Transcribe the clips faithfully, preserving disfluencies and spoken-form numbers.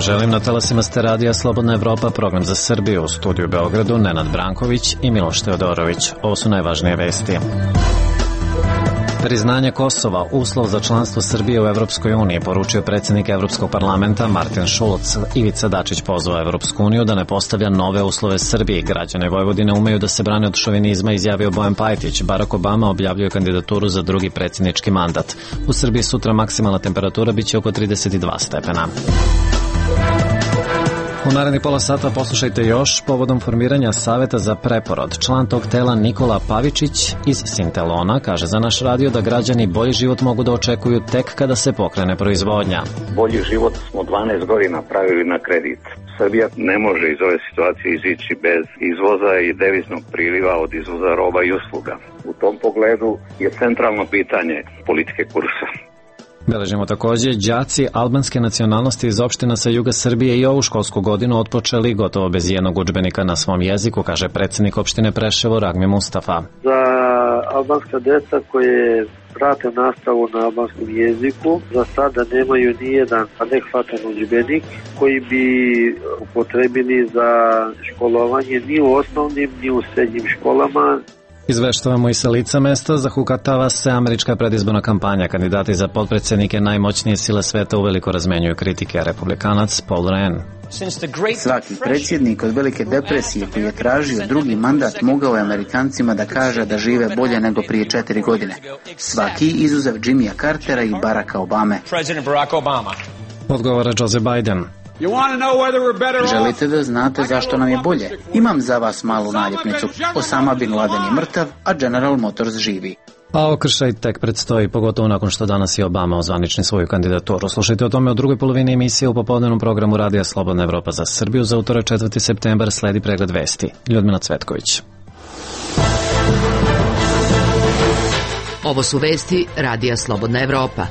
želim, na talasima ste radija Slobodna Evropa, program za Srbiju, u studiju u Beogradu Nenad Branković i Miloš Teodorović. Ovo su najvažnije vesti. Priznanje Kosova, uslov za članstvo Srbije u Evropskoj uniji, poručio predsjednik Evropskog parlamenta Martin Schulz. Ivica Dačić pozvao Evropsku uniju da ne postavlja nove uslove Srbiji. Građane Vojvodine umeju da se brane od šovinizma, izjavio Bojan Pajtić. Barack Obama objavljuje kandidaturu za drugi predsjednički mandat. U Srbiji sutra maksimalna temperatura biće oko trideset dva stepena. U narednih pola sata poslušajte još povodom formiranja Saveta za preporod. Član tog tela Nikola Pavičić iz Sintelona kaže za naš radio da građani bolji život mogu da očekuju tek kada se pokrene proizvodnja. Bolji život smo dvanaest godina pravili na kredit. Srbija ne može iz ove situacije izići bez izvoza i deviznog priliva od izvoza roba i usluga. U tom pogledu je centralno pitanje politike kursa. Beležimo također, đaci albanske nacionalnosti iz opština sa juga Srbije i ovu školsku godinu otpočeli gotovo bez jednog udžbenika na svom jeziku, kaže predsjednik opštine Preševo Ragmi Mustafa. Za albanska deca koje prate nastavu na albanskom jeziku za sada nemaju nijedan adekvatan udžbenik koji bi upotrebili za školovanje ni u osnovnim ni u srednjim školama. Izveštavamo i sa lica mesta, zahukatava se američka predizborna kampanja. Kandidati za potpredsjednike najmoćnije sile sveta uveliko razmenjuju kritike. Republikanac Paul Ryan. Svaki predsjednik od velike depresije koji je tražio drugi mandat mogao je Amerikancima da kaže da žive bolje nego prije četiri godine. Svaki izuzev Jimmya Cartera i Baracka Obame. Odgovara Joe Biden. Želite da znate zašto nam je bolje? Imam za vas malu naljepnicu. Osama Bin Laden je mrtav, a General Motors živi. A okršaj tek predstoji, pogotovo nakon što danas i Obama ozvanični svoju kandidaturu. Slušajte o tome u drugoj polovini emisije u popodnevnom programu Radija Slobodna Evropa za Srbiju. Za utorak četvrti septembar sledi pregled vesti. Ljudmila Cvetković. Ovo su vesti Radija Slobodna Evropa.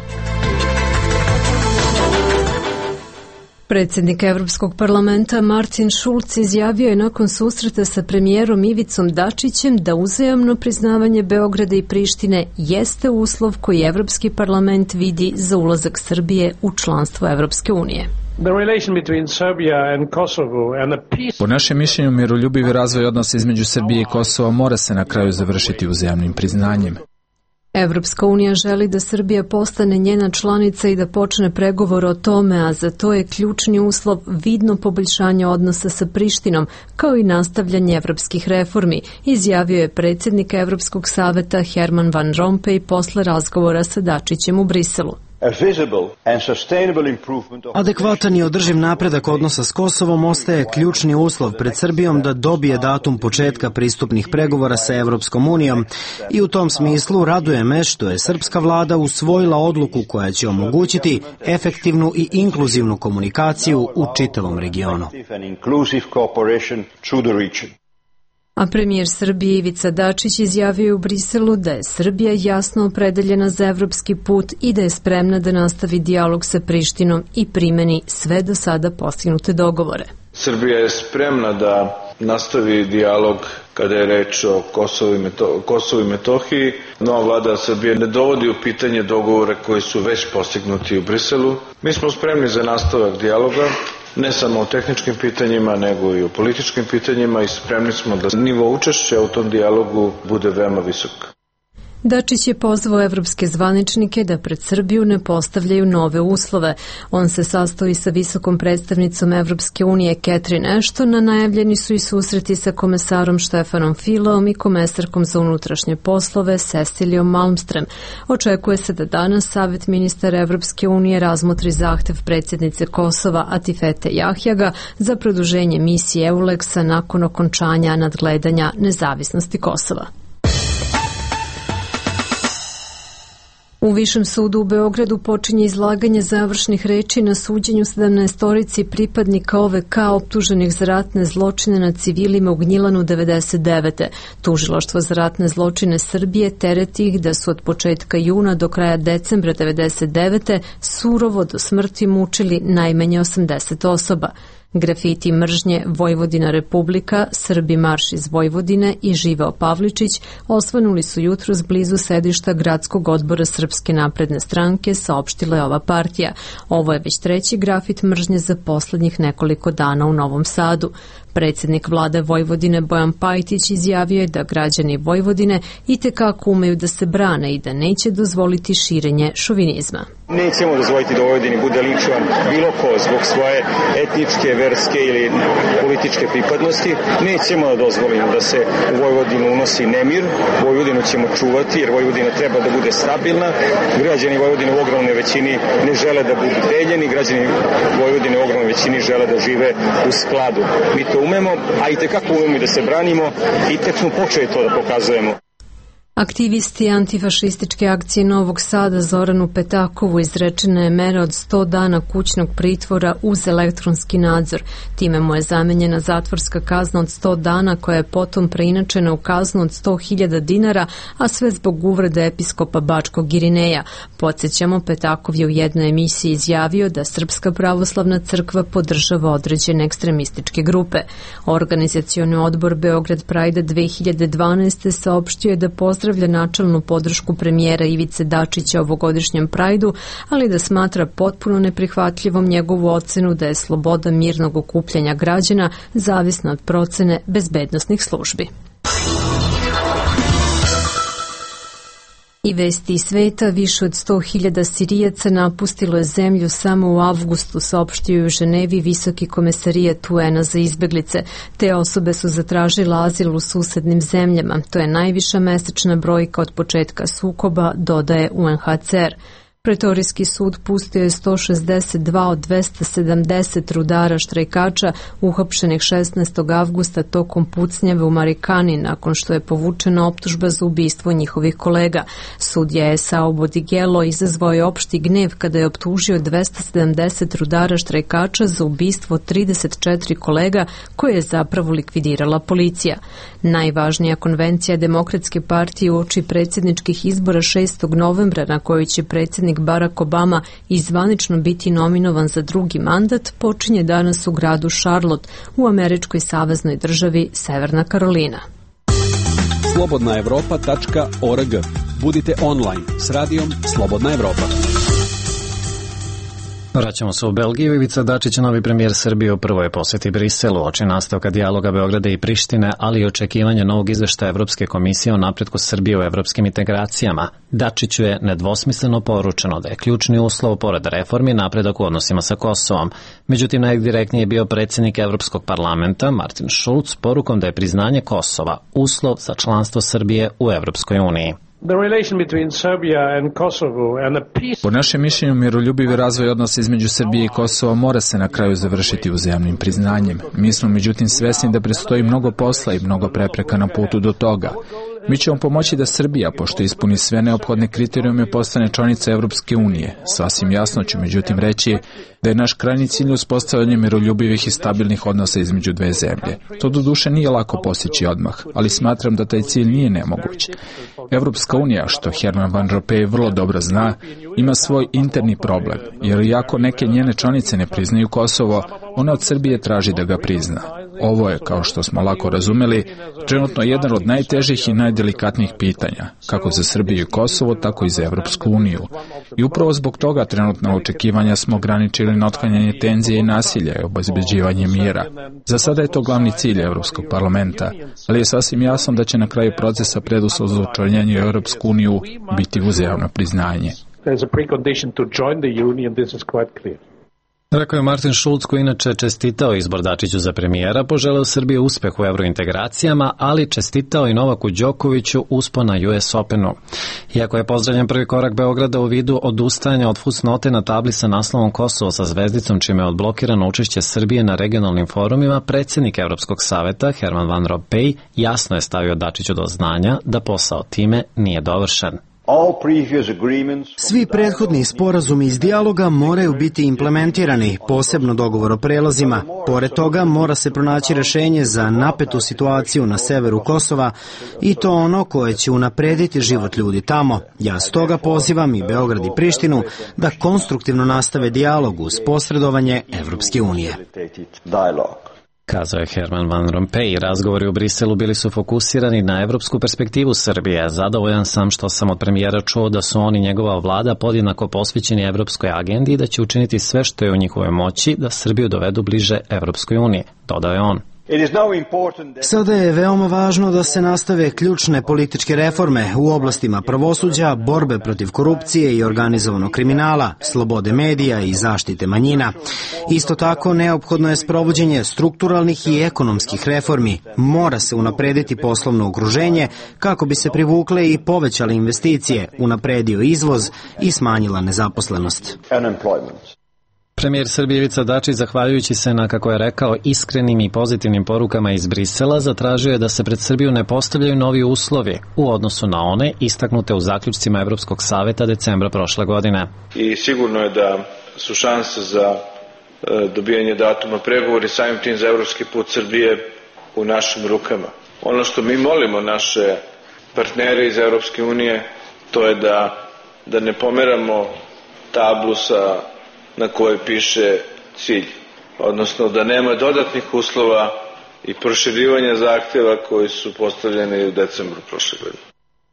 Predsjednik Evropskog parlamenta Martin Schulz izjavio je nakon susreta sa premijerom Ivicom Dačićem da uzajamno priznavanje Beograda i Prištine jeste uslov koji Evropski parlament vidi za ulazak Srbije u članstvo Evropske unije. Po našem mišljenju, miroljubivi razvoj odnosa između Srbije i Kosova mora se na kraju završiti uzajamnim priznanjem. Evropska unija želi da Srbija postane njena članica i da počne pregovor o tome, a za to je ključni uslov vidno poboljšanje odnosa sa Prištinom, kao i nastavljanje evropskih reformi, izjavio je predsjednik Evropskog saveta Herman Van Rompuy posle razgovora sa Dačićem u Briselu. Adekvatan i održiv napredak odnosa s Kosovom ostaje ključni uslov pred Srbijom da dobije datum početka pristupnih pregovora sa Evropskom unijom i u tom smislu raduje me što je srpska vlada usvojila odluku koja će omogućiti efektivnu i inkluzivnu komunikaciju u čitavom regionu. A premijer Srbije Ivica Dačić izjavio je u Briselu da je Srbija jasno opredeljena za evropski put i da je spremna da nastavi dijalog sa Prištinom i primeni sve do sada postignute dogovore. Srbija je spremna da nastavi dijalog kada je reč o Kosovu i, Meto- Kosovu i Metohiji. Nova vlada Srbije ne dovodi u pitanje dogovore koji su već postignuti u Briselu. Mi smo spremni za nastavak dijaloga, ne samo o tehničkim pitanjima, nego i o političkim pitanjima i spremni smo da nivo učešća u tom dijalogu bude veoma visok. Dačić je pozvao evropske zvaničnike da pred Srbiju ne postavljaju nove uslove. On se sastoji sa visokom predstavnicom Evropske unije Catherine Ashton, a najavljeni su i susreti sa komesarom Štefanom Fileom i komesarkom za unutrašnje poslove Cecilijom Malmström. Očekuje se da danas Savet ministara Evropske unije razmotri zahtev predsjednice Kosova Atifete Jahjaga za produženje misije EULEX-a nakon okončanja nadgledanja nezavisnosti Kosova. U Višem sudu u Beogradu počinje izlaganje završnih reči na suđenju sedamnaestorici pripadnika O V K optuženih za ratne zločine nad civilima u Gnjilanu devedeset devete. Tužilaštvo za ratne zločine Srbije tereti ih da su od početka juna do kraja decembra devedeset devete surovo do smrti mučili najmanje osamdeset osoba. Grafiti mržnje Vojvodina Republika, Srbi marš iz Vojvodine i Živeo Pavličić osvanuli su jutros blizu sedišta Gradskog odbora Srpske napredne stranke, saopštila je ova partija. Ovo je već treći grafit mržnje za poslednjih nekoliko dana u Novom Sadu. Predsjednik vlade Vojvodine Bojan Pajtić izjavio je da građani Vojvodine itekako umeju da se brane i da neće dozvoliti širenje šovinizma. Nećemo dozvoliti da u Vojvodini bude linčovan bilo ko zbog svoje etničke, verske ili političke pripadnosti. Nećemo da dozvolimo da se u Vojvodinu unosi nemir. Vojvodinu ćemo čuvati jer Vojvodina treba da bude stabilna. Građani Vojvodine u ogromnoj većini ne žele da budu deljeni. Građani Vojvodine u ogromnoj većini žele da žive u skladu. Mi to umemo, a i tekako umemo da se branimo i tek smo počeli to da pokazujemo. Aktivisti antifašističke akcije Novog Sada Zoranu Petakovu izrečena je mera od sto dana kućnog pritvora uz elektronski nadzor. Time mu je zamenjena zatvorska kazna od sto dana koja je potom preinačena u kaznu od sto hiljada dinara, a sve zbog uvrede episkopa Bačkog Irineja. Podsjećamo, Petakov je u jednoj emisiji izjavio da Srpska pravoslavna crkva podržava određene ekstremističke grupe. Organizacioni odbor Beograd Pride dve hiljade dvanaeste. saopštio je da pozdravlja načelnu podršku premijera Ivice Dačića ovogodišnjem Prajdu, ali da smatra potpuno neprihvatljivom njegovu ocenu da je sloboda mirnog okupljanja građana zavisna od procene bezbednosnih službi. I vesti iz sveta, više od sto hiljada Sirijaca napustilo je zemlju samo u avgustu, saopštio je u Ženevi Visoki komesarijat U N-a za izbeglice. Te osobe su zatražile azil u susednim zemljama. To je najviša mesečna brojka od početka sukoba, dodaje U N H C R. Pretorijski sud pustio je sto šezdeset dva od dvesta sedamdeset rudara štrajkača uhapšenih šesnaestog avgusta tokom pucnjave u Marikani nakon što je povučena optužba za ubistvo njihovih kolega. Sudija Esau Bodigelo izazvao je opšti gnev kada je optužio dvesta sedamdeset rudara štrajkača za ubistvo trideset četiri kolega koje je zapravo likvidirala policija. Najvažnija konvencija Demokratske partije uoči predsjedničkih izbora šestog novembra na kojoj će predsjednik Barack Obama izvanično biti nominovan za drugi mandat počinje danas u gradu Charlotte u američkoj saveznoj državi Severna Karolina. slobodna evropa tačka org. Budite online s radijom Slobodna Evropa. Vraćamo se u Belgiju. Ivica Dačić, novi premijer Srbije, u prvoj posjeti Briselu, oči nastavka dijaloga Beograda i Prištine, ali i očekivanja novog izveštaja Evropske komisije o napretku Srbije u evropskim integracijama. Dačiću je nedvosmisleno poručeno da je ključni uslov pored reformi napredak u odnosima sa Kosovom. Međutim, najdirektnije je bio predsjednik Evropskog parlamenta Martin Schulz porukom da je priznanje Kosova uslov za članstvo Srbije u Evropskoj uniji. Po našem mišljenju, miroljubivi razvoj odnosa između Srbije i Kosova mora se na kraju završiti uzajamnim priznanjem. Mi smo međutim svesni da predstoji mnogo posla i mnogo prepreka na putu do toga. Mi ćemo pomoći da Srbija, pošto ispuni sve neophodne kriterijume, postane članica Evropske unije. Sasvim jasno ću međutim reći da je naš krajnji cilj uspostavljanje miroljubivih i stabilnih odnosa između dve zemlje. To doduše nije lako postići odmah, ali smatram da taj cilj nije nemoguć. Evropska unija, što Herman Van Rompuy vrlo dobro zna, ima svoj interni problem, jer iako neke njene članice ne priznaju Kosovo, ona od Srbije traži da ga prizna. Ovo je, kao što smo lako razumeli, trenutno jedan od najtežih i najdelikatnijih pitanja, kako za Srbiju i Kosovo, tako i za Evropsku uniju. I upravo zbog toga trenutna očekivanja smo ograničili na otklanjanje tenzije i nasilja i obezbeđivanje mira. Za sada je to glavni cilj Evropskog parlamenta, ali je sasvim jasno da će na kraju procesa preduslov za učlanjenje u Evropsku uniju biti uzajamno priznanje. Rekao je Martin Schulz, koji inače čestitao izbor Dačiću za premijera, poželeo Srbije uspeh u evrointegracijama, ali čestitao i Novaku Đokoviću uspon na U S Openu. Iako je pozdravljen prvi korak Beograda u vidu odustajanja od fusnote na tabli sa naslovom Kosovo sa zvezdicom, čime je odblokirano učešće Srbije na regionalnim forumima, predsjednik Evropskog saveta Herman Van Rompuy jasno je stavio Dačiću do znanja da posao time nije dovršen. Svi prethodni sporazumi iz dijaloga moraju biti implementirani, posebno dogovor o prelazima. Pored toga mora se pronaći rešenje za napetu situaciju na severu Kosova i to ono koje će unaprediti život ljudi tamo. Ja stoga pozivam i Beograd i Prištinu da konstruktivno nastave dijalog uz posredovanje Evropske unije. Kazao je Herman Van Rompuy. Razgovori u Briselu bili su fokusirani na evropsku perspektivu Srbije. Zadovoljan sam što sam od premijera čuo da su oni i njegova vlada podjednako posvećeni evropskoj agendi i da će učiniti sve što je u njihovoj moći da Srbiju dovedu bliže Evropskoj uniji, dodao je on. Sada je veoma važno da se nastave ključne političke reforme u oblastima pravosuđa, borbe protiv korupcije i organizovanog kriminala, slobode medija i zaštite manjina. Isto tako, neophodno je sprovođenje strukturalnih i ekonomskih reformi. Mora se unaprediti poslovno okruženje kako bi se privukle i povećale investicije, unapredio izvoz i smanjila nezaposlenost. Premijer Srbije Ivica Dačić, zahvaljujući se na, kako je rekao, iskrenim i pozitivnim porukama iz Brisela, zatražio je da se pred Srbiju ne postavljaju novi uslovi u odnosu na one istaknute u zaključcima Evropskog saveta decembra prošle godine. I sigurno je da su šanse za e, dobijanje datuma pregovori, samim tim za evropski put Srbije u našim rukama. Ono što mi molimo naše partnere iz Evropske unije, to je da, da ne pomeramo tablu sa na kojoj piše cilj, odnosno da nema dodatnih uslova i proširivanja zahtjeva koji su postavljeni u decembru prošle godine.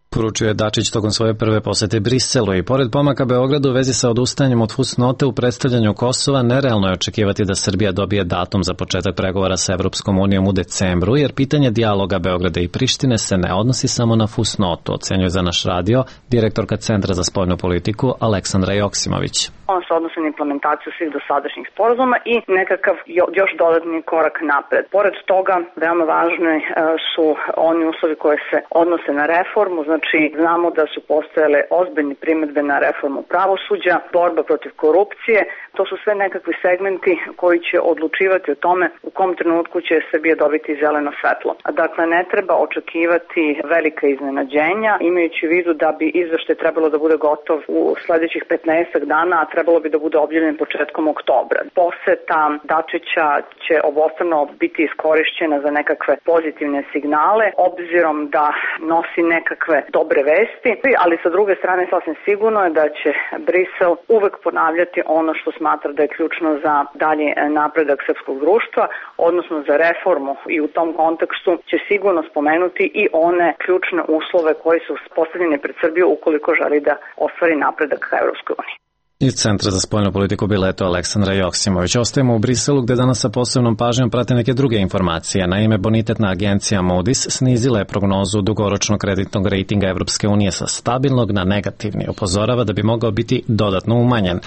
Poručio je Dačić tokom svoje prve posete Briselu i pored pomaka Beogradu u vezi sa odustajanjem od fusnote u predstavljanju Kosova, nerealno je očekivati da Srbija dobije datum za početak pregovora sa Evropskom unijom u decembru, jer pitanje dijaloga Beograda i Prištine se ne odnosi samo na fusnotu, ocenjuje za naš radio direktorka Centra za spoljnu politiku Aleksandra Joksimović. On se odnosi na implementaciju svih dosadašnjih sporazuma i nekakav još dodatni korak napred. Pored toga, veoma važni su oni uslovi koje se odnose na reformu, znači znamo da su postojale ozbiljne primedbe na reformu pravosuđa, borba protiv korupcije, to su sve nekakvi segmenti koji će odlučivati o tome u kom trenutku će Srbija dobiti zeleno svetlo. Dakle, ne treba očekivati velika iznenađenja, imajući u vidu da bi izveštaj trebalo da bude gotov u sledećih petnaestak dana, a trebalo bi da bude objavljen početkom oktobra. Poseta Dačića će obostrano biti iskorišćena za nekakve pozitivne signale, obzirom da nosi nekakve dobre vesti, ali sa druge strane sasvim sigurno je da će Brisel uvek ponavljati ono što smatra da je ključno za dalji napredak srpskog društva, odnosno za reformu, i u tom kontekstu će sigurno spomenuti i one ključne uslove koji su postavljeni pred Srbiju ukoliko želi da ostvari napredak ka Evropskoj uniji. Iz Centra za spoljnu politiku Bileto Aleksandra Joksimović. Ostajemo u Briselu gde danas sa posebnom pažnjom prate neke druge informacije. Naime, bonitetna agencija Moody's snizila je prognozu dugoročnog kreditnog rejtinga Evropske unije sa stabilnog na negativni. Upozorava da bi mogao biti dodatno umanjen.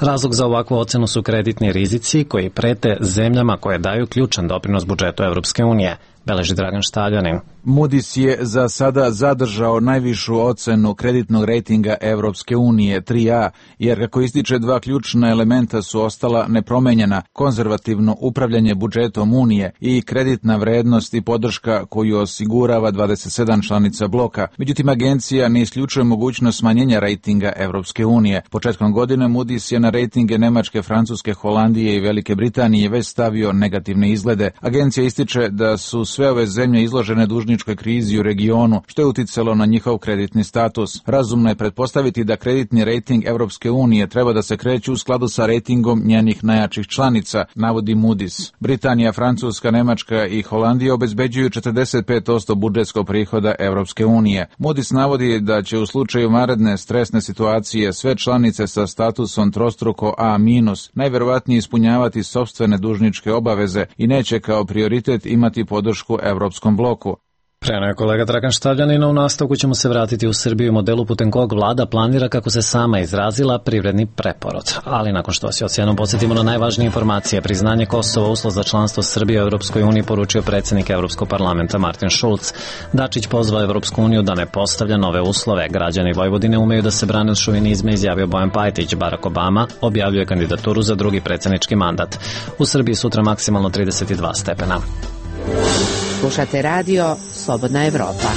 Razlog za ovakvu ocenu su kreditni rizici koji prete zemljama koje daju ključan doprinos budžetu Evropske unije, beleži Dragan Štaljanin. Moody's je za sada zadržao najvišu ocenu kreditnog rejtinga Evropske unije tri A, jer kako ističe dva ključna elementa su ostala nepromenjena: konzervativno upravljanje budžetom Unije i kreditna vrednost i podrška koju osigurava dvadeset sedam članica bloka. Međutim, agencija ne isključuje mogućnost smanjenja rejtinga Evropske unije. Početkom godine Moody's je na rejtinge Nemačke, Francuske, Holandije i Velike Britanije već stavio negativne izglede. Agencija ističe da su sve ove zemlje izložene dužničkoj krizi u regionu, što je uticalo na njihov kreditni status. Razumno je pretpostaviti da kreditni rejting Evropske unije treba da se kreće u skladu sa rejtingom njenih najjačih članica, navodi Moody's. Britanija, Francuska, Nemačka i Holandija obezbeđuju četrdeset pet posto budžetskog prihoda Evropske unije. Moody's navodi da će u slučaju vanredne stresne situacije sve članice sa statusom trostruko A minus najverovatnije ispunjavati sopstvene dužničke obaveze i neće kao prioritet imati podršku Evropskom bloku. Preno je kolega Dragan Štaljanin, u nastavku ćemo se vratiti u Srbiju, modelu putem kog vlada planira, kako se sama izrazila, privredni preporod. Ali nakon što se ocjenom podsjetimo na najvažnije informacije, priznanje Kosova uslov za članstvo Srbije u Evropskoj uniji poručio predsjednik Evropskog parlamenta Martin Schulz. Dačić pozvao Evropsku uniju da ne postavlja nove uslove. Građani Vojvodine umeju da se brane od šovinizma, izjavio Bojan Pajtić. Barack Obama objavljuje kandidaturu za drugi predsjednički mandat. U Srbiji sutra maksimalno trideset dva stepena. Slušate radio Slobodna Evropa.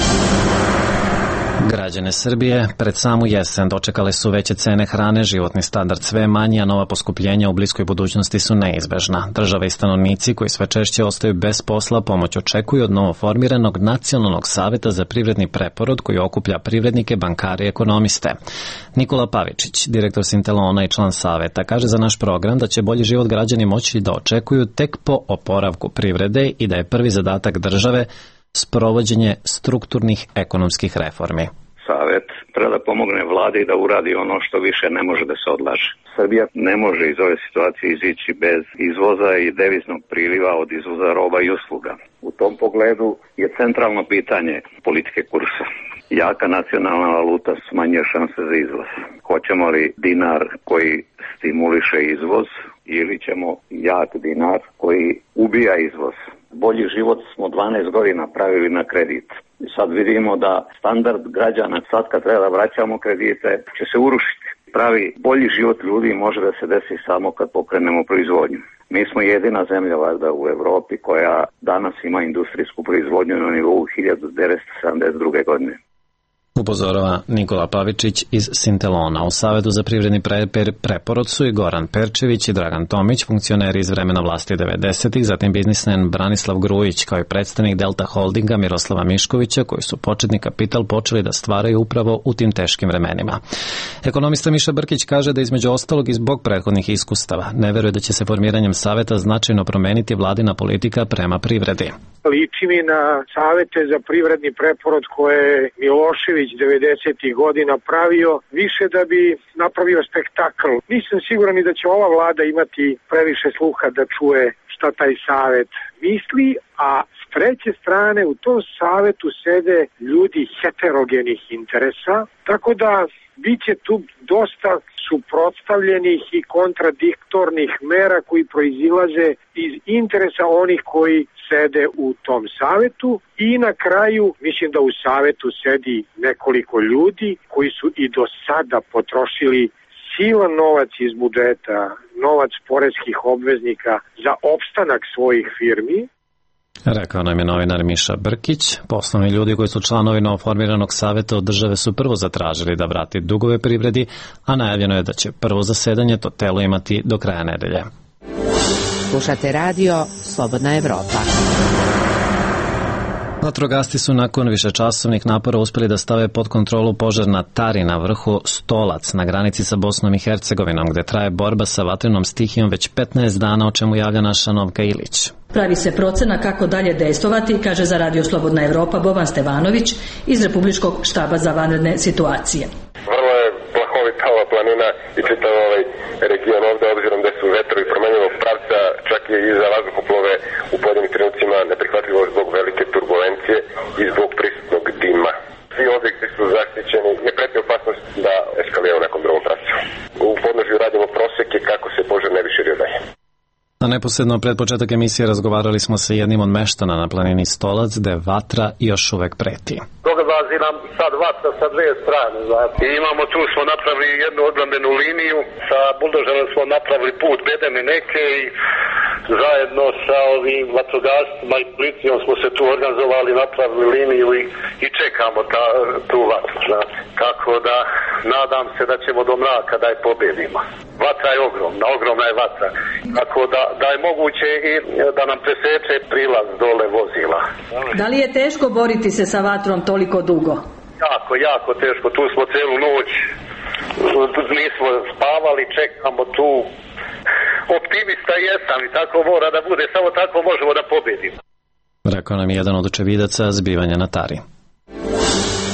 Građane Srbije pred samu jesen dočekale su veće cene hrane, životni standard sve manji, a nova poskupljenja u bliskoj budućnosti su neizbežna. Država i stanovnici koji sve češće ostaju bez posla pomoć očekuju od novoformiranog Nacionalnog saveta za privredni preporod koji okuplja privrednike, bankare i ekonomiste. Nikola Pavičić, direktor Sintelona i član saveta, kaže za naš program da će bolji život građani moći da očekuju tek po oporavku privrede i da je prvi zadatak države sprovođenje strukturnih ekonomskih reformi. Savet treba da pomogne vladi da uradi ono što više ne može da se odlaže. Srbija ne može iz ove situacije izići bez izvoza i deviznog priliva od izvoza roba i usluga. U tom pogledu je centralno pitanje politike kursa. Jaka nacionalna valuta smanjuje šanse za izvoz. Hoćemo li dinar koji stimuliše izvoz ili ćemo jak dinar koji ubija izvoz? Bolji život smo dvanaest godina pravili na kredit. I sad vidimo da standard građana sad kad treba da vraćamo kredite će se urušiti. Pravi bolji život ljudi može da se desi samo kad pokrenemo proizvodnju. Mi smo jedina zemlja valjda u Evropi koja danas ima industrijsku proizvodnju na nivou hiljadu devetsto sedamdeset druge godine. Upozorava Nikola Pavičić iz Sintelona. U Savetu za privredni pre, pre, preporod su i Goran Perčević i Dragan Tomić, funkcioneri iz vremena vlasti devedesetih, zatim biznismen Branislav Grujić, kao i predstavnik Delta Holdinga Miroslava Miškovića, koji su početni kapital počeli da stvaraju upravo u tim teškim vremenima. Ekonomista Miša Brkić kaže da između ostalog i zbog prethodnih iskustava ne veruje da će se formiranjem Saveta značajno promeniti vladina politika prema privredi. Liči mi na savete za privredni preporod koje je Milošević devedesetih godina pravio, više da bi napravio spektakl. Nisam siguran i da će ova vlada imati previše sluha da čuje šta taj savet misli, a s treće strane u tom savetu sede ljudi heterogenih interesa, tako da biće tu dosta suprotstavljenih i kontradiktornih mera koji proizilaze iz interesa onih koji sede u tom savetu i na kraju mislim da u savetu sedi nekoliko ljudi koji su i do sada potrošili silan novac iz budžeta, novac poreskih obveznika za opstanak svojih firmi. Rekao nam je novinar Miša Brkić. Poslovni ljudi koji su članovi novoformiranog saveta od države su prvo zatražili da vrati dugove privredi, a najavljeno je da će prvo zasedanje to telo imati do kraja nedelje. Slušate radio Slobodna Evropa. Vatrogasci su nakon višečasovnih napora uspeli da stave pod kontrolu požar na Tari na vrhu Stolac na granici sa Bosnom i Hercegovinom, gde traje borba sa vatrenom stihijom već petnaest dana, o čemu javlja naša Novka Ilić. Pravi se procena kako dalje dejstvovati, kaže za radio Slobodna Evropa Boban Stevanović iz Republičkog štaba za vanredne situacije. Vrlo je plahovita ova planina i čitav ovaj region ovde, obzirom da su vetrovi promenjenog pravca, čak je i za vazduhoplove u pojedinim trenucima neprihvatljivo zbog velike turbulencije i zbog prisutnog dima. Svi objekti su zaštićeni, ne preti opasnost da eskalira u nekom drugom pravcu. U podnožju radimo proseke kako se požar ne bi širio dalje. A neposredno pred početak emisije razgovarali smo sa jednim od meštana na planini Stolac, gde vatra još uvek preti. Dolazi nam sad vatra sa dve strane. Znači. I imamo, tu smo napravili jednu odbrambenu liniju, sa buldožerom smo napravili put bedeme neke i zajedno sa ovim vatrogastima i policijom smo se tu organizovali, napravili liniju i, i čekamo ta, tu vatru. Znači. Kako da, nadam se da ćemo do mraka da je pobedimo. Vatra je ogromna, ogromna je vatra. Tako da, da je moguće i da nam preseče prilaz dole vozila. Da li je teško boriti se sa vatrom toliko dugo? Jako, jako teško. Tu smo celu noć, nismo spavali, čekamo tu. Optimista jesam i tako mora da bude, samo tako možemo da pobedimo. Rekao nam je jedan od očevidaca zbivanja na Tari.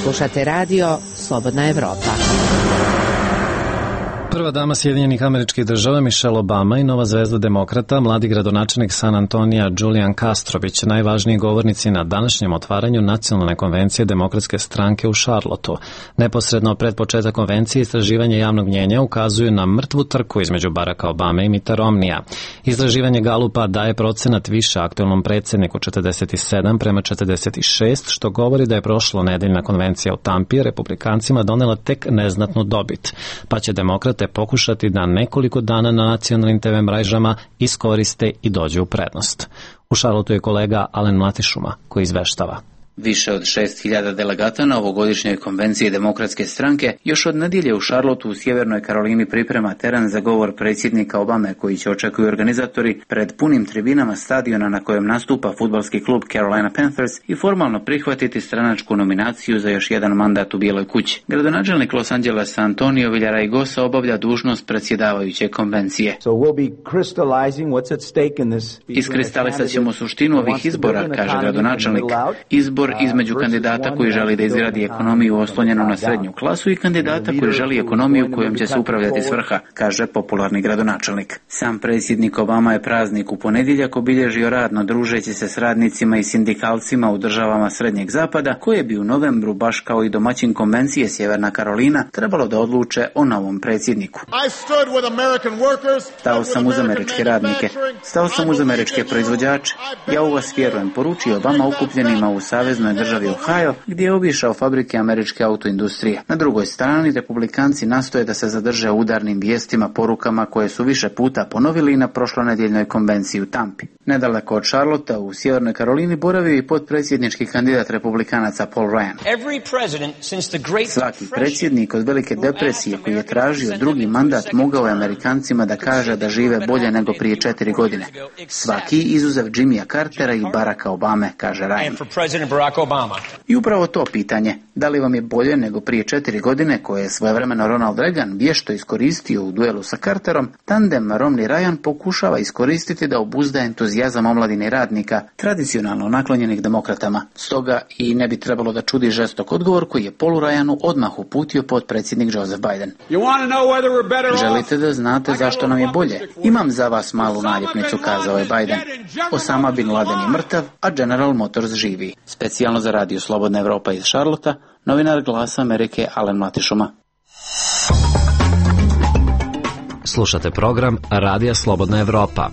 Slušate radio Slobodna Evropa. Prva dama Sjedinjenih Američkih Država Michelle Obama i nova zvezda demokrata, mladi gradonačelnik San Antonija Julian Castrović, najvažniji govornici na današnjem otvaranju Nacionalne konvencije Demokratske stranke u Charlotteu. Neposredno pred početak konvencije istraživanje javnog mnjenja ukazuju na mrtvu trku između Baracka Obame i Mitta Romneya. Istraživanje Galupa daje procenat više aktuelnom predsjedniku četrdeset sedam prema četrdeset šest, što govori da je prošlo nedeljna konvencija u Tampi republikancima donela tek neznatnu dobit, pa će demokrat te pokušati da nekoliko dana na nacionalnim te ve mrežama iskoriste i dođu u prednost. U Charlotteu je kolega Alen Mlatišuma koji izveštava. Više od šest hiljada delegata na ovogodišnjoj konvenciji Demokratske stranke još od nedjelje u Charlotteu u Sjevernoj Karolini priprema teren za govor predsjednika Obame koji će, očekuju organizatori, pred punim tribinama stadiona na kojem nastupa fudbalski klub Carolina Panthers i formalno prihvatiti stranačku nominaciju za još jedan mandat u Bijeloj kući. Gradonačelnik Los Angelesa Antonio Villaraigosa obavlja dužnost predsjedavajuće konvencije. So we'll be crystallizing what's at stake in this. Iskristalisat ćemo suštinu ovih izbora, kaže gradonačelnik. Izbor između kandidata koji želi da izgradi ekonomiju oslonjenu na srednju klasu i kandidata koji želi ekonomiju kojom će se upravljati s vrha, kaže popularni gradonačelnik. Sam predsjednik Obama je praznik u ponedjeljak obilježio radno družeći se s radnicima i sindikalcima u državama Srednjeg zapada, koje bi u novembru, baš kao i domaćin konvencije Sjeverna Karolina, trebalo da odluče o novom predsjedniku. Stao sam uz američke radnike, stao sam uz američke proizvođače. Ja u vas vjerujem, poručio Obama okupljenima u saveznoj državi Ohio, gdje je obišao fabrike američke autoindustrije. Na drugoj strani, republikanci nastoje da se zadrže u udarnim vijestima, porukama koje su više puta ponovili i na prošlonedjeljnoj konvenciji u Tampi. Nedaleko od Charlottea u Sjevernoj Karolini boravio i potpredsjednički kandidat republikanaca Paul Ryan. Svaki predsjednik od Velike depresije koji je tražio drugi mandat mogao je Amerikancima da kaže da žive bolje nego prije četiri godine. Svaki izuzev Jimmya Cartera i Baracka Obame, kaže Ryan. I upravo to pitanje, da li vam je bolje nego prije četiri godine, koje je svojevremeno Ronald Reagan vješto iskoristio u duelu sa Carterom, tandem Romney-Ryan pokušava iskoristiti da obuzda entuzijazam omladine radnika, tradicionalno naklonjenih demokratama. Stoga i ne bi trebalo da čudi žestok odgovor koji je Paulu Ryanu odmah uputio potpredsjednik Joseph Biden. Želite da znate zašto nam je bolje? Imam za vas malu naljepnicu, kazao je Biden. Osama bin Laden je mrtav, a General Motors živi. Specijalno za Radio Slobodna Evropa iz Charlottea, novinar Glasa Amerike Alen Matišuma. Slušate program Radija Slobodna Evropa.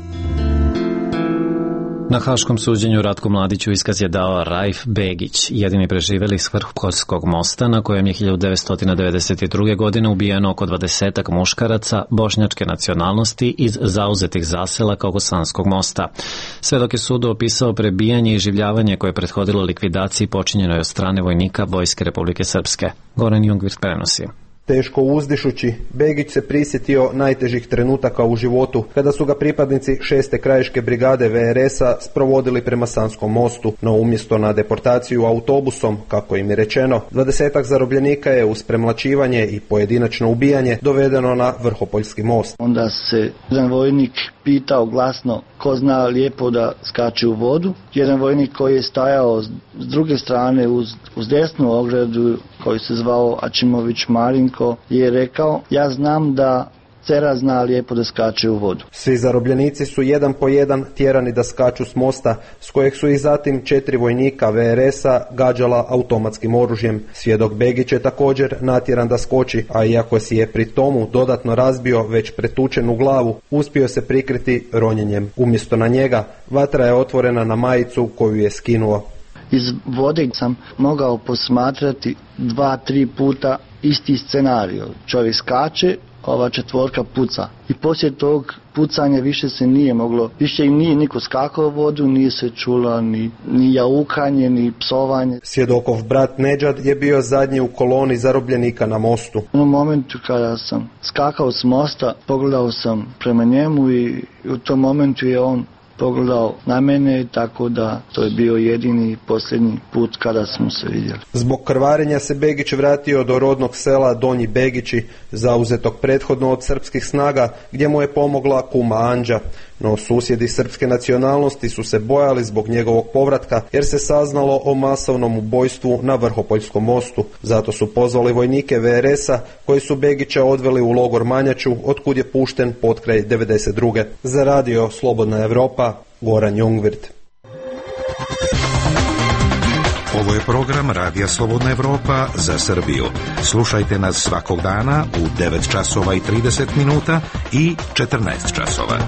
Na haškom suđenju Ratku Mladiću iskaz je dao Raif Begić, jedini preživeli s Vrhkovskog mosta na kojem je hiljadu devetsto devedeset druge. godine ubijeno oko dvadesetak muškaraca bošnjačke nacionalnosti iz zauzetih zaselaka oko Sanskog mosta. Svedok je sudu opisao prebijanje i življavanje koje je prethodilo likvidaciji počinjenoj od strane vojnika Vojske Republike Srpske. Goran Jungwirth prenosi. Teško uzdišući, Begić se prisjetio najtežih trenutaka u životu, kada su ga pripadnici šeste krajiške brigade V R S-a sprovodili prema Sanskom mostu, no umjesto na deportaciju autobusom, kako im je rečeno, dvadesetak zarobljenika je uz premlačivanje i pojedinačno ubijanje dovedeno na Vrhopoljski most. Onda se jedan vojnik pitao glasno ko zna lijepo da skače u vodu. Jedan vojnik koji je stajao s druge strane uz, uz desnu ogradu, koji se zvao Ačimović Marinko, je rekao ja znam da Cera zna lijepo da skače u vodu. Svi zarobljenici su jedan po jedan tjerani da skaču s mosta, s kojeg su i zatim četiri vojnika V R S-a gađala automatskim oružjem. Svjedok Begić je također natjeran da skoči, a iako si je pri tomu dodatno razbio već pretučenu glavu, uspio se prikriti ronjenjem. Umjesto na njega, vatra je otvorena na majicu koju je skinuo. Iz vode sam mogao posmatrati dva, tri puta isti scenarij. Čovjek skače, ova četvorka puca. I poslije tog pucanja više se nije moglo, više im nije niko skakao u vodu, nije se čula ni, ni jaukanje, ni psovanje. Svjedokov brat Nedžad je bio zadnji u koloni zarobljenika na mostu. U momentu kada sam skakao s mosta, pogledao sam prema njemu i u tom momentu je on pogledao na mene, tako da to je bio jedini i posljednji put kada smo se vidjeli. Zbog krvarenja se Begić vratio do rodnog sela Donji Begići, zauzetog prethodno od srpskih snaga, gdje mu je pomogla kuma Anđa. No susjedi srpske nacionalnosti su se bojali zbog njegovog povratka, jer se saznalo o masovnom ubojstvu na Vrhopoljskom mostu. Zato su pozvali vojnike V R S-a koji su Begića odveli u logor Manjaču, otkud je pušten potkraj devedeset druge. Za Radio Slobodna Evropa, Goran Jungwirth. Ovo je program Radija Slobodna Evropa za Srbiju. Slušajte nas svakog dana u devet časova i trideset minuta i četrnaest časova.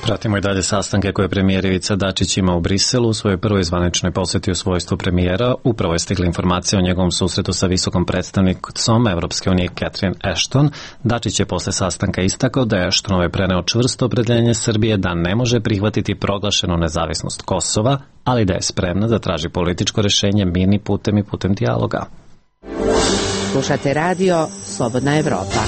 Pratimo i dalje sastanke koje je premijer Ivica Dačić ima u Briselu. U svojoj prvoj zvaničnoj posjeti u svojstvu premijera upravo je stigla informacija o njegovom susretu sa visokom predstavnicom Evropske unije Catherine Ashton. Dačić je posle sastanka istakao da je Ashtonove preneo čvrsto opredeljenje Srbije da ne može prihvatiti proglašenu nezavisnost Kosova, ali da je spremna da traži političko rešenje mirnim putem i putem dijaloga. Slušate radio Slobodna Evropa.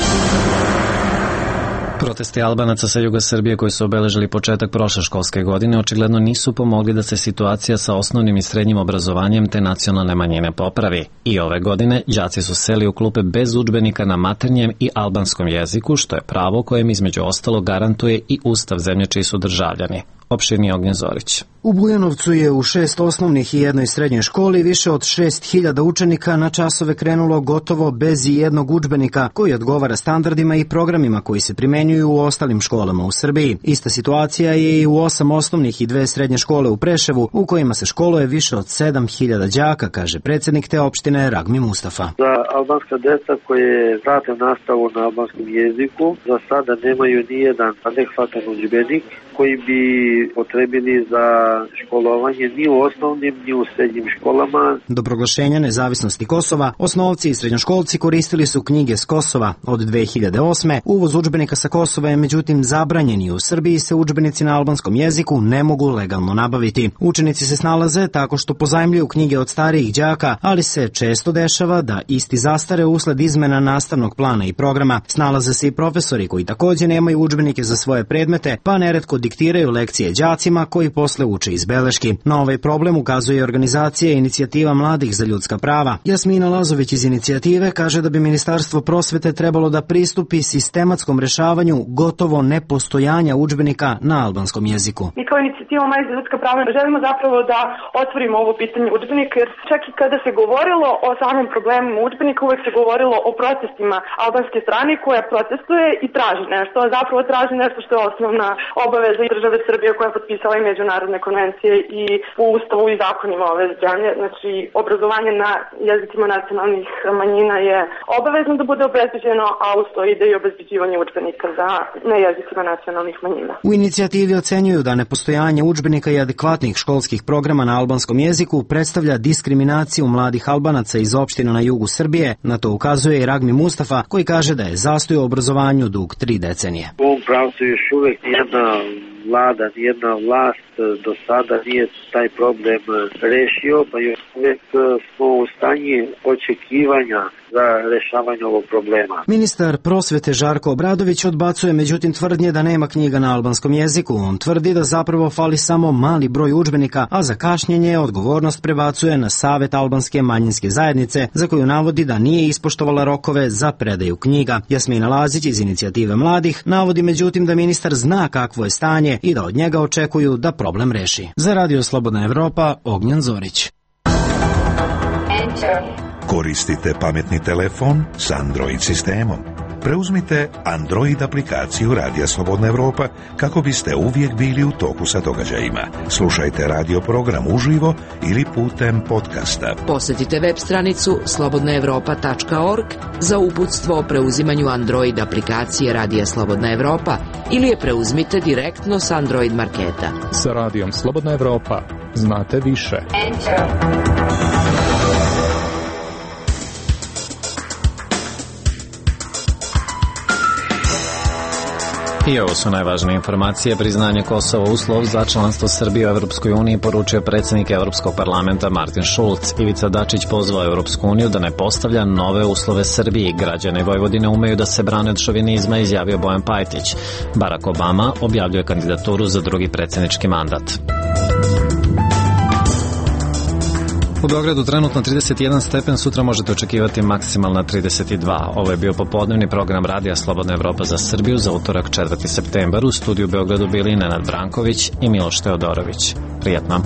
Protesti Albanaca sa juga Srbije koji su obeležili početak prošle školske godine očigledno nisu pomogli da se situacija sa osnovnim i srednjim obrazovanjem te nacionalne manjine popravi. I ove godine đaci su seli u klupe bez udžbenika na maternjem i albanskom jeziku, što je pravo kojem između ostalo garantuje i Ustav zemlje čiji su državljani. Opširni Ognjen Zorić. U Bujanovcu je u šest osnovnih i jednoj srednjoj školi više od šest hiljada učenika na časove krenulo gotovo bez i jednog udžbenika koji odgovara standardima i programima koji se primenjuju u ostalim školama u Srbiji. Ista situacija je i u osam osnovnih i dve srednje škole u Preševu u kojima se školuje više od sedam hiljada đaka, kaže predsjednik te opštine Ragmi Mustafa. Za albanska deca koje prate nastavu na albanskom jeziku za sada nemaju nijedan adekvatan udžbenik koji bi potrebili za školovanje ni u osnovnim ni u srednjim školama. Do proglašenja nezavisnosti Kosova, osnovci i srednjoškolci koristili su knjige s Kosova. Od dve hiljade osme. uvoz udžbenika sa Kosova je međutim zabranjen i u Srbiji se udžbenici na albanskom jeziku ne mogu legalno nabaviti. Učenici se snalaze tako što pozajmljuju knjige od starijih đaka, ali se često dešava da isti zastare usled izmena nastavnog plana i programa. Snalaze se i profesori koji takođe nemaju udžbenike za svoje predmete, pa neretko diktiraju lekcije đacima koji posle uče iz beleški. Na ovaj problem ukazuje organizacija Inicijativa mladih za ljudska prava. Jasmina Lazović iz inicijative kaže da bi Ministarstvo prosvete trebalo da pristupi sistematskom rešavanju gotovo nepostojanja udžbenika na albanskom jeziku. Mi kao Inicijativa mladih za ljudska prava želimo zapravo da otvorimo ovo pitanje udžbenika, jer čak i kada se govorilo o samom problemu udžbenika, uvek se govorilo o protestima albanske strane koja protestuje i traži nešto, a zapravo traži nešto što je osnovna obaveza države Srbije koja je potpisala i međunarodne konvencije i u Ustavu i zakonima ove zemlje. Znači, obrazovanje na jezicima nacionalnih manjina je obavezno da bude obezbeđeno, a uz to ide i obezbeđivanje udžbenika za na jezicima nacionalnih manjina. U inicijativi ocenjuju da nepostojanje udžbenika i adekvatnih školskih programa na albanskom jeziku predstavlja diskriminaciju mladih Albanaca iz opština na jugu Srbije. Na to ukazuje i Ragmi Mustafa, koji kaže da je zastoj u obrazovanju dug tri decenije. U ovom pravcu još uvek jedna vlada, nijedna vlast do sada nije taj problem rešio, pa još uvek smo u stanju očekivanja za rešavanje ovog problema. Ministar prosvete Žarko Obradović odbacuje međutim tvrdnje da nema knjiga na albanskom jeziku. On tvrdi da zapravo fali samo mali broj udžbenika, a za kašnjenje odgovornost prebacuje na Savet albanske manjinske zajednice, za koju navodi da nije ispoštovala rokove za predaju knjiga. Jasmina Lazić iz Inicijative mladih navodi međutim da ministar zna kakvo je stanje i da od njega očekuju da problem reši. Za Radio Slobodna Evropa, Ognjen Zorić. Koristite pametni telefon s Android sistemom. Preuzmite Android aplikaciju Radija Slobodna Evropa kako biste uvijek bili u toku sa događajima. Slušajte radio program uživo ili putem podcasta. Posjetite web stranicu slobodna evropa tačka org za uputstvo o preuzimanju Android aplikacije Radija Slobodna Evropa ili je preuzmite direktno s Android marketa. Sa Radijom Slobodna Evropa znate više. I ovo su najvažnije informacije. Priznanje Kosova uslov za članstvo Srbije u Evropskoj uniji, poručio predsjednik Evropskog parlamenta Martin Schulz. Ivica Dačić pozvao Evropsku uniju da ne postavlja nove uslove Srbiji. Građani Vojvodine umeju da se brane od šovinizma, izjavio Bojan Pajtić. Barack Obama objavljuje kandidaturu za drugi predsjednički mandat. U Beogradu trenutno trideset jedan stepen, sutra možete očekivati maksimalna trideset dva. Ovo je bio popodnevni program Radija Slobodna Evropa za Srbiju za utorak četvrti septembar. U studiju u Beogradu bili Nenad Branković i Miloš Teodorović. Prijetno.